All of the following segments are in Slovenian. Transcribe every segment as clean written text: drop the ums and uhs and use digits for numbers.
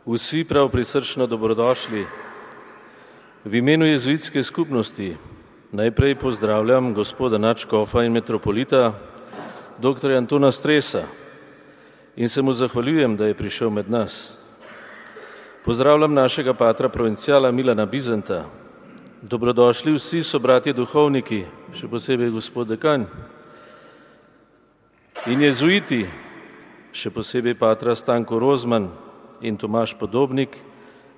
Vsi prav prisrčno dobrodošli. V imenu jezuitske skupnosti najprej pozdravljam gospoda nadškofa in metropolita, dr. Antona Stresa, in se mu zahvaljujem, da je prišel med nas. Pozdravljam našega patra provinciala Milana Bizanta. Dobrodošli vsi sobratje duhovniki, še posebej gospod dekan. In jezuiti, še posebej patra Stanko Rozman in Tomaž Podobnik,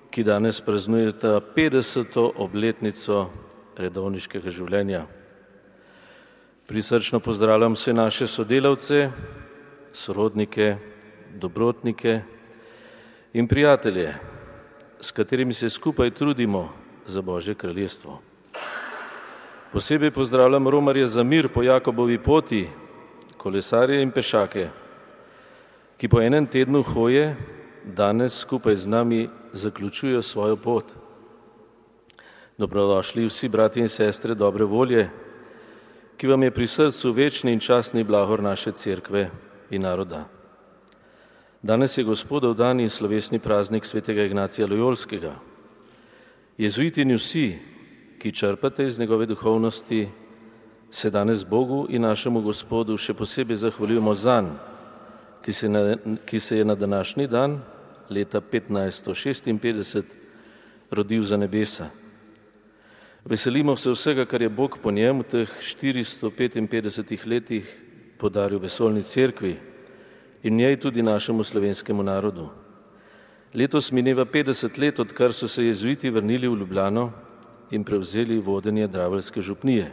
ki danes praznujeta 50. obletnico redovniškega življenja. Prisrčno pozdravljam vse naše sodelavce, sorodnike, dobrotnike in prijatelje, s katerimi se skupaj trudimo za Božje kraljestvo. Posebej pozdravljam romarje za mir po Jakobovi poti, kolesarje in pešake, ki po enem tednu hoje danes skupaj z nami zaključujejo svojo pot. Dobrodošli vsi bratje in sestre dobre volje, ki vam je pri srcu večni in častni blagor naše cerkve in naroda. Danes je Gospodov dan in slovesni praznik svetega Ignacija Lojolskega. Jezuiti in vsi, ki črpate iz njegove duhovnosti, se danes Bogu in našemu Gospodu še posebej zahvaljujemo zanj, ki se je na današnji dan leta 1556 rodil za nebesa. Veselimo se vsega, kar je Bog po njem v teh 455 letih podaril vesoljni cerkvi in njej tudi našemu slovenskemu narodu. Letos mineva 50 let, odkar so se jezuiti vrnili v Ljubljano in prevzeli vodenje draveljske župnije.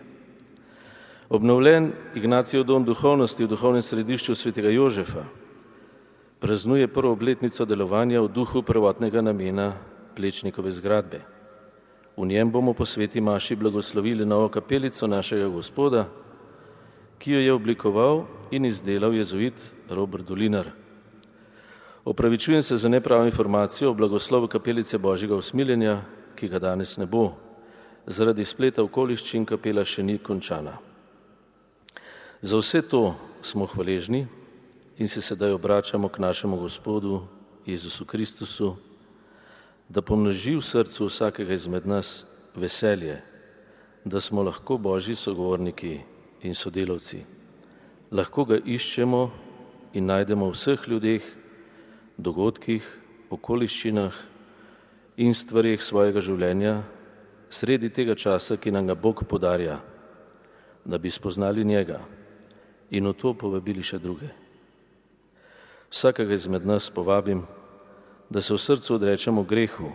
Obnovljen Ignacijev dom duhovnosti v duhovnem središču svetega Jožefa praznuje prvo obletnico delovanja v duhu prvotnega namena Plečnikove zgradbe. V njem bomo po sveti maši blagoslovili novo kapelico našega Gospoda, ki jo je oblikoval in izdelal jezuit Robert Dolinar. Opravičujem se za nepravo informacijo o blagoslovu kapelice Božjega usmiljenja, ki ga danes ne bo. Zaradi spleta okoliščin kapela še ni končana. Za vse to smo hvaležni in se sedaj obračamo k našemu Gospodu Jezusu Kristusu, da pomnoži v srcu vsakega izmed nas veselje, da smo lahko Božji sogovorniki in sodelavci. Lahko ga iščemo in najdemo v vseh ljudeh, dogodkih, okoliščinah in stvareh svojega življenja, sredi tega časa, ki nam ga Bog podarja, da bi spoznali njega in v to povabili še druge. Vsakega izmed nas povabim, da se v srcu odrečemo grehu,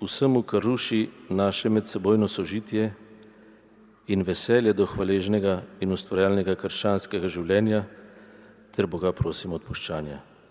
vsemu, kar ruši naše medsebojno sožitje in veselje do hvaležnega in ustvarjalnega krščanskega življenja, ter Boga prosimo odpuščanja.